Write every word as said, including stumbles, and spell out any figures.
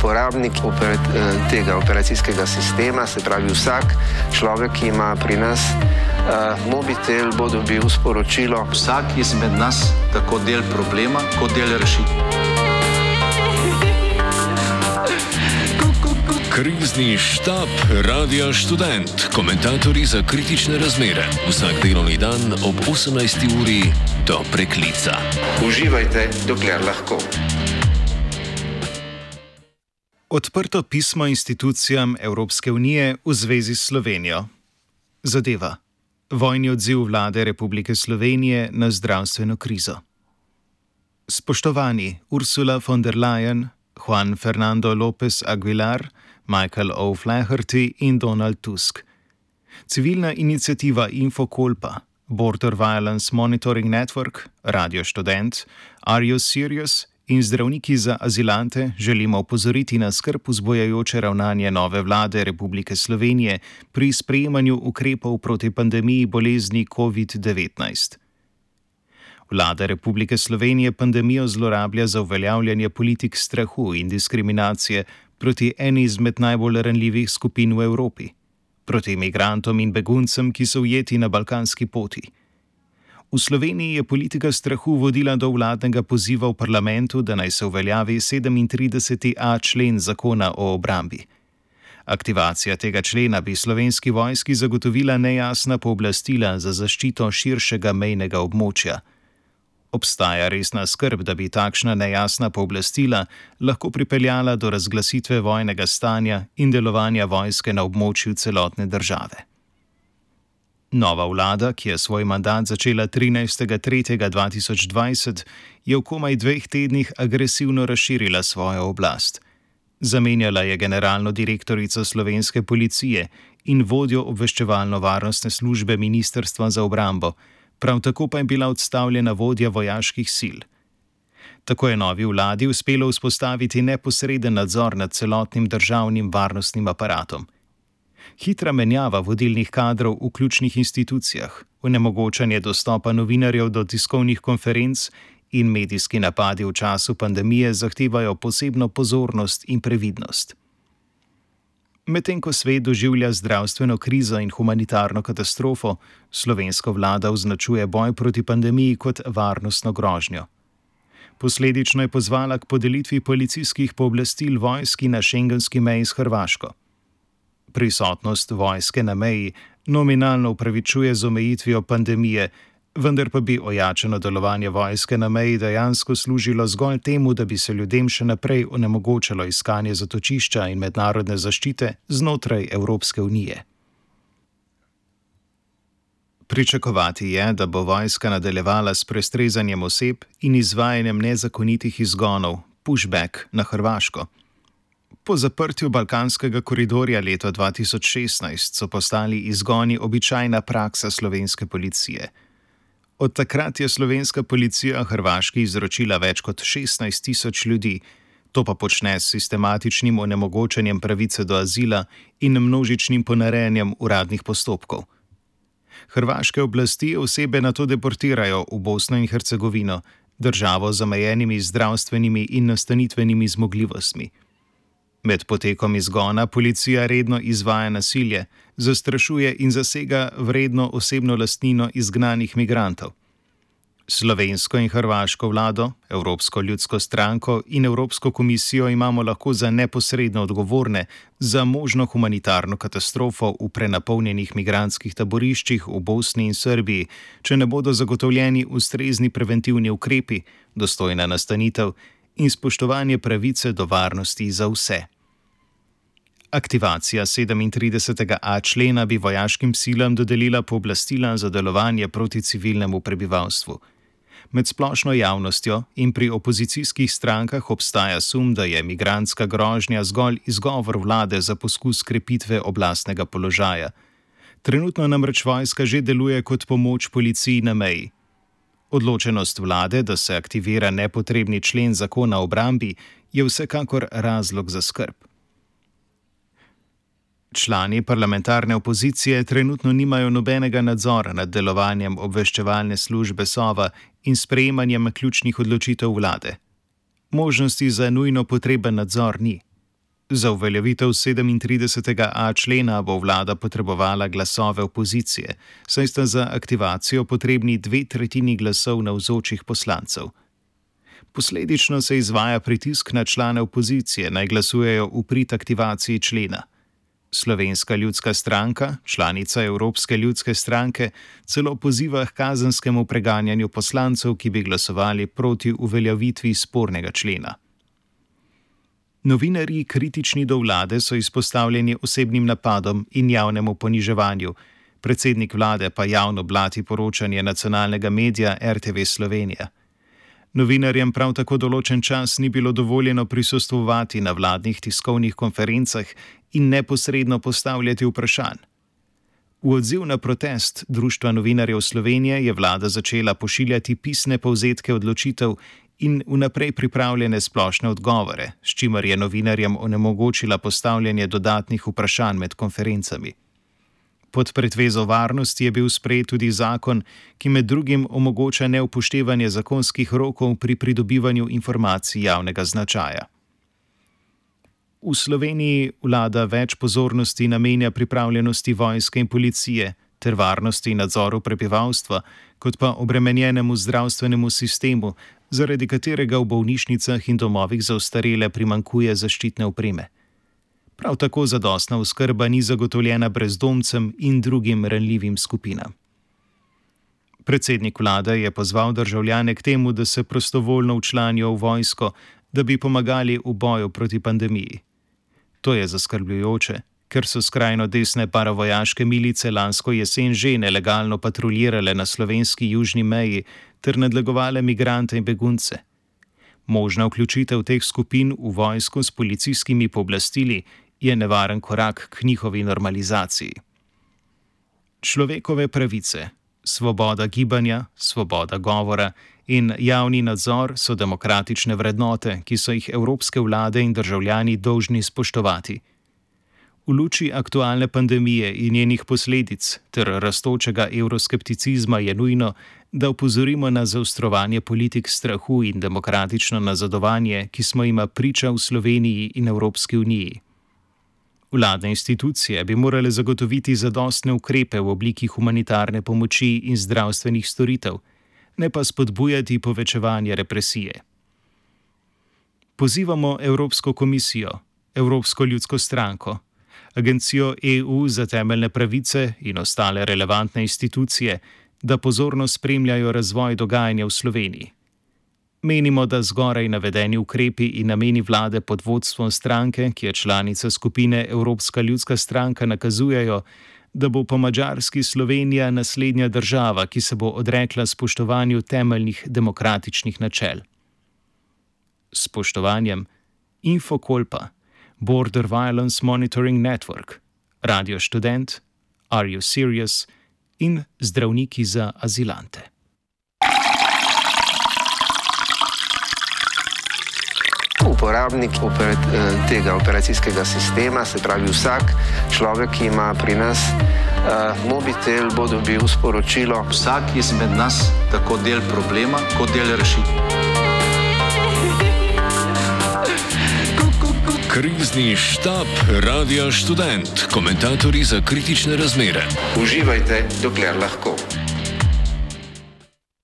uporabnik operat, tega operacijskega sistema, se pravi vsak človek, ki ima pri nas uh, mobitel, bo dobil sporočilo. Vsak izmed nas tako del problema, kot del rešitve. Krizni štab Radia Študent. Komentatorji za kritične razmere. Vsak delovni dan ob osemnajsti uri do preklica. Uživajte, dokler lahko. Odprto pismo institucijam Evropske unije v zvezi s Slovenijo. Zadeva: vojni odziv vlade Republike Slovenije na zdravstveno krizo. Spoštovani Ursula von der Leyen, Juan Fernando López Aguilar, Michael O'Flaherty in Donald Tusk. Civilna iniciativa Infokolpa, Border Violence Monitoring Network, Radio Študent, Are You Serious in zdravniki za azilante želimo opozoriti na skrb vzbujajoče ravnanje nove vlade Republike Slovenije pri sprejemanju ukrepov proti pandemiji bolezni covid devetnajst. Vlada Republike Slovenije pandemijo zlorablja za uveljavljanje politik strahu in diskriminacije proti eni izmed najbolj ranljivih skupin v Evropi, proti imigrantom in beguncem, ki so ujeti na balkanski poti. V Sloveniji je politika strahu vodila do vladnega poziva v parlamentu, da naj se uveljavi sedemintrideseti a člen zakona o obrambi. Aktivacija tega člena bi slovenski vojski zagotovila nejasna pooblastila za zaščito širšega mejnega območja. Obstaja resna skrb, da bi takšna nejasna pooblastila lahko pripeljala do razglasitve vojnega stanja in delovanja vojske na območju celotne države. Nova vlada, ki je svoj mandat začela trinajstega tretjega dva tisoč dvajset, je v komaj dveh tednih agresivno razširila svojo oblast. Zamenjala je generalno direktorico slovenske policije in vodjo obveščevalno-varnostne službe Ministrstva za obrambo, prav tako pa je bila odstavljena vodja vojaških sil. Tako je novi vladi uspelo vzpostaviti neposreden nadzor nad celotnim državnim varnostnim aparatom. Hitra menjava vodilnih kadrov v ključnih institucijah, onemogočanje dostopa novinarjev do tiskovnih konferenc in medijski napadi v času pandemije zahtevajo posebno pozornost in previdnost. Medtem ko svet doživlja zdravstveno krizo in humanitarno katastrofo, slovenska vlada označuje boj proti pandemiji kot varnostno grožnjo. Posledično je pozvala k podelitvi policijskih pooblastil vojski na šengenski meji s Hrvaško. Prisotnost vojske na meji nominalno upravičuje z omejitvijo pandemije, vendar pa bi ojačano delovanje vojske na meji dejansko služilo zgolj temu, da bi se ljudem še naprej onemogočalo iskanje zatočišča in mednarodne zaščite znotraj Evropske unije. Pričakovati je, da bo vojska nadaljevala s prestrezanjem oseb in izvajanjem nezakonitih izgonov, pushback na Hrvaško. Po zaprtju balkanskega koridorja leta dva tisoč šestnajst so postali izgoni običajna praksa slovenske policije. Od takrat je slovenska policija Hrvaški izročila več kot šestnajst tisoč ljudi, to pa počne s sistematičnim onemogočanjem pravice do azila in množičnim ponarejanjem uradnih postopkov. Hrvaške oblasti osebe nato deportirajo v Bosno in Hercegovino, državo z omejenimi zdravstvenimi in nastanitvenimi zmogljivostmi. Med potekom izgona policija redno izvaja nasilje, zastrašuje in zasega vredno osebno lastnino izgnanih migrantov. Slovensko in hrvaško vlado, Evropsko ljudsko stranko in Evropsko komisijo imamo lahko za neposredno odgovorne za možno humanitarno katastrofo v prenapolnjenih migrantskih taboriščih v Bosni in Srbiji, če ne bodo zagotovljeni ustrezni preventivni ukrepi, dostojna nastanitev in spoštovanje pravice do varnosti za vse. Aktivacija sedemintridesetega a člena bi vojaškim silam dodelila pooblastila za delovanje proti civilnemu prebivalstvu. Med splošno javnostjo in pri opozicijskih strankah obstaja sum, da je migrantska grožnja zgolj izgovor vlade za poskus krepitve oblastnega položaja. Trenutno namreč vojska že deluje kot pomoč policiji na meji. Odločenost vlade, da se aktivira nepotrebni člen zakona o obrambi, je vsekakor razlog za skrb. Člani parlamentarne opozicije trenutno nimajo nobenega nadzora nad delovanjem obveščevalne službe Sova in sprejemanjem ključnih odločitev vlade. Možnosti za nujno potreben nadzor ni. Za uveljavitev sedemintridesetega a člena bo vlada potrebovala glasove opozicije, saj sta za aktivacijo potrebni dve tretjini glasov navzočih poslancev. Posledično se izvaja pritisk na člane opozicije, naj glasujejo v prid aktivaciji člena. Slovenska ljudska stranka, članica Evropske ljudske stranke, celo poziva k kazenskemu preganjanju poslancev, ki bi glasovali proti uveljavitvi spornega člena. Novinarji, kritični do vlade, so izpostavljeni osebnim napadom in javnemu poniževanju. Predsednik vlade pa javno blati poročanje nacionalnega medija R T V Slovenija. Novinarjem prav tako določen čas ni bilo dovoljeno prisostvovati na vladnih tiskovnih konferencah in neposredno postavljati vprašanj. V odziv na protest Društva novinarjev Slovenije je vlada začela pošiljati pisne povzetke odločitev in vnaprej pripravljene splošne odgovore, s čimer je novinarjem onemogočila postavljanje dodatnih vprašanj med konferencami. Pod pretvezo varnosti je bil sprejet tudi zakon, ki med drugim omogoča neupoštevanje zakonskih rokov pri pridobivanju informacij javnega značaja. V Sloveniji vlada več pozornosti namenja pripravljenosti vojske in policije ter varnosti in nadzoru prebivalstva, kot pa obremenjenemu zdravstvenemu sistemu, zaradi katerega v bolnišnicah in domovih za ostarele primanjkuje zaščitne opreme. Prav tako zadostna oskrba ni zagotovljena brezdomcem in drugim ranljivim skupinam. Predsednik vlade je pozval državljane k temu, da se prostovoljno včlanijo v vojsko, da bi pomagali v boju proti pandemiji. To je zaskrbljujoče, ker so skrajno desne paravojaške milice lansko jesen že nelegalno patruljirale na slovenski južni meji ter nadlegovale migrante in begunce. Možna vključitev teh skupin v vojsko s policijskimi pooblastili je nevaren korak k njihovi normalizaciji. Človekove pravice, svoboda gibanja, svoboda govora in javni nadzor so demokratične vrednote, ki so jih evropske vlade in državljani dolžni spoštovati. V luči aktualne pandemije in njenih posledic ter rastočega evroskepticizma je nujno, da opozorimo na zaostrovanje politik strahu in demokratično nazadovanje, ki smo jima priča v Sloveniji in Evropski uniji. Vladne institucije bi morale zagotoviti zadostne ukrepe v obliki humanitarne pomoči in zdravstvenih storitev, ne pa spodbujati povečevanje represije. Pozivamo Evropsko komisijo, Evropsko ljudsko stranko, Agencijo E U za temeljne pravice in ostale relevantne institucije, da pozorno spremljajo razvoj dogajanja v Sloveniji. Menimo, da zgoraj navedeni ukrepi in nameni vlade pod vodstvom stranke, ki je članica skupine Evropska ljudska stranka, nakazujejo, da bo po Madžarski Slovenija naslednja država, ki se bo odrekla spoštovanju temeljnih demokratičnih načel. S spoštovanjem Infokolpa, Border Violence Monitoring Network, Radio Študent, Are You Serious in Zdravniki za azilante. Uporabnik operat, tega operacijskega sistema, se pravi vsak človek, ki ima pri nas uh, mobitel, bo dobil sporočilo. Vsak izmed nas tako del problema, kot del rešitve. Krizni štab Radio Študent, komentatorji za kritične razmere. Uživajte, dokler lahko.